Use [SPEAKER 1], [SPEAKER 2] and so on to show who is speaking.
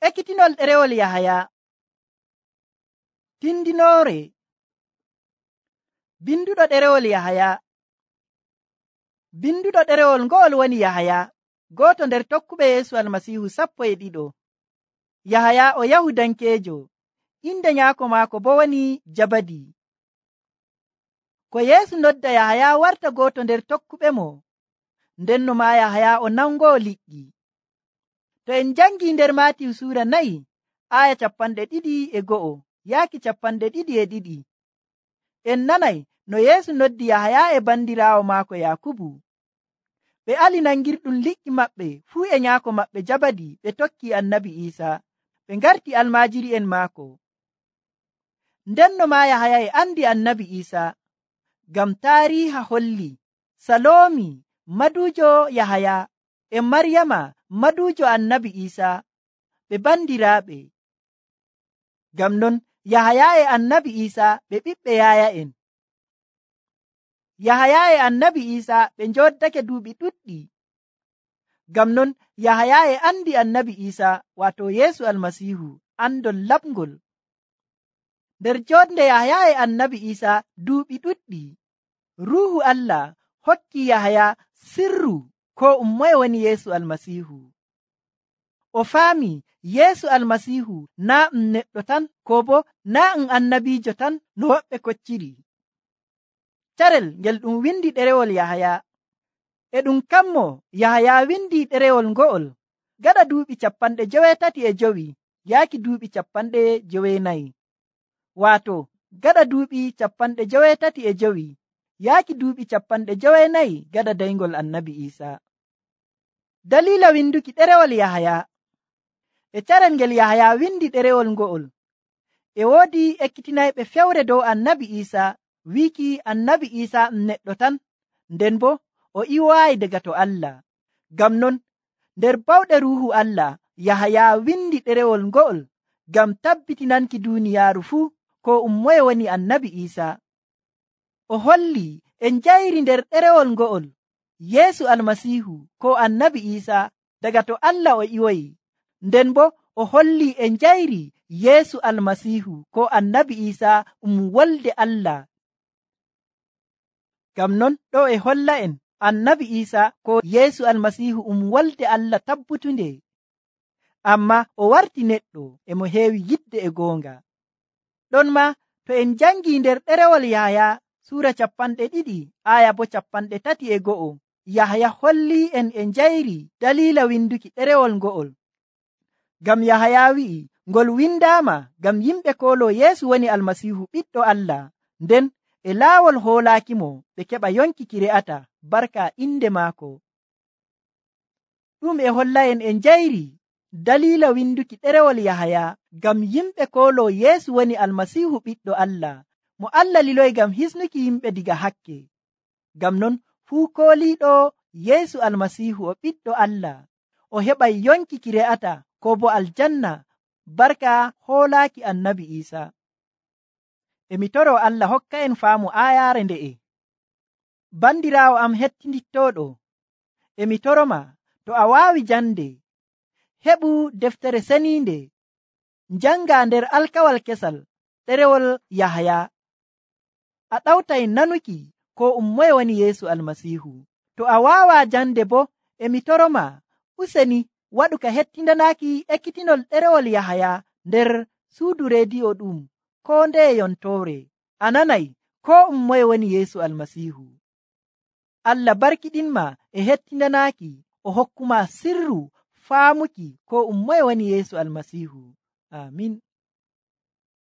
[SPEAKER 1] Ekkitinol ɗerewol Yahaya. Tindinoore. Binduɗo ɗerewol Yahaya. Binduɗo ɗerewol ngo'ol woni Yahaya, gooto nder tokkuɓe Yeesu Almasiihu 12. Yahaya o Yahudankeejo, inde nyaako maako bo woni Jabadi. Ko Yeesu nodda Yahaya warta gooto nder tokkuɓe mo, ndenno maa Yahaya o nangoowo liƴƴi. To en jangii nder Maatiyu suura 4 aya 21 yaaki 22, en nanay no Yeesu noddi Yahaya e bandiraawo maako Yakubu. Ɓe ali nangirɗum liƴƴi maɓɓe fuu e nyaako maɓɓe Jabadi, ɓe tokki Annabi Iisaa, ɓe ngarti almaajiri'en maako. Ndenno maa Yahaya e andi Annabi Iisaa, ngam taariiha holli Saloomi maduujo Yahaya e Maryama maduujo Annabi Iisaa ɓe bandiraaɓe. Ngam non Yahaya e Annabi Iisaa ɓe ɓiɓɓe yaaya'en. Yahaya e Annabi Iisaa ɓe njoddake duuɓi ɗuɗɗi. Ngam non Yahaya e andi Annabi Iisaa, waato Yeesu Almasiihu, andol laɓngol. Nder jonde Yahaya e Annabi Iisaa duuɓi ɗuɗɗi, Ruuhu Allah hokki Yahaya sirru ko ummoye woni Yeesu Almasiihu. O faami Yeesu Almasiihu naa neɗɗo tan, ko bo naa annabiijo tan no woɓɓe kocciri. Carel ngel ɗum windi ɗerewol Yahaya. E ɗum kammo Yahaya windi ɗerewol ngo'ol gaɗa duuɓi 35 yaaki duuɓi 94, waato gaɗa duuɓi 95 yaaki duuɓi 94 gaɗa daygol Annabi Iisaa. Dalila winduki ɗerewol Yahaya. E carel ngel Yahaya windi ɗerewol ngo'ol, e woodi ekkitinayɓe fewre dow Annabi Iisaa, wiiki Annabi Iisaa neɗɗo tan, nden bo o iwaayi daga to Allah. Ngam non nder bawɗe Ruuhu Allah, Yahaya windi ɗerewol ngo'ol ngam tabbitinanki duuniyaaru fuu ko ummoye woni Annabi Iisaa. O holli en njayri nder ɗerewol ngo'ol Yeesu Almasiihu ko Annabi Iisaa daga to Allah o iwoyi, nden bo o holli en njayri Yeesu Almasiihu ko Annabi Iisaa wolde Allah. Ngam non ɗo e holla en Annabi Iisaa ko Yeesu Almasiihu wolde Allah tabbutunde, amma o warti neɗɗo e mo heewi yidde e goonga. Ɗon ma to en jangii nder ɗerewol Yahaya suura 2 aya bo 31, Yahaya holli en e njayri dalila winduki ɗerewol ngo'ol. Ngam Yahaya wi'i ngol windaama ngam yimɓe koolo Yeesu woni Almasiihu ɓiɗɗo Allah, nden e laawol hoolaakimo ɓe keɓa yonki ki re'ata barka inde maako. Ɗum e holla en e njayri dalila winduki ɗerewol Yahaya ngam yimɓe koolo Yeesu woni Almasiihu ɓiɗɗo Allah, mo Allah liloyi ngam hisnuki yimɓe diga hakke. Ngam non fuu kooliiɗo Yeesu Almasiihu o ɓiɗɗo Allah, o heɓay yonki ki re'ata ko bo aljanna barka hoolaaki Annabi Iisaa. E mi toro Allah hokka en faamu ayaare nde'e. Bandiraawo am hettindittooɗo, e mi toroma to a waawi jande, heɓu deftere seniinde, njanga nder alkawal kesal ɗerewol Yahaya. A ɗawtay nanuki ko ummoye woni Yeesu Almasiihu. To a waawaa jande bo, e mi toroma useni waɗu ka hettindanaaki ekkitinol ɗerewol Yahaya nder suudu rediyo ɗum ko nde yontoore. A nanay ko ummoye woni Yeesu Almasiihu. Allah barkiɗinma e hettindanaaki, o hokkuma sirru faamuki ko ummoye woni Yeesu Almasiihu. Amin.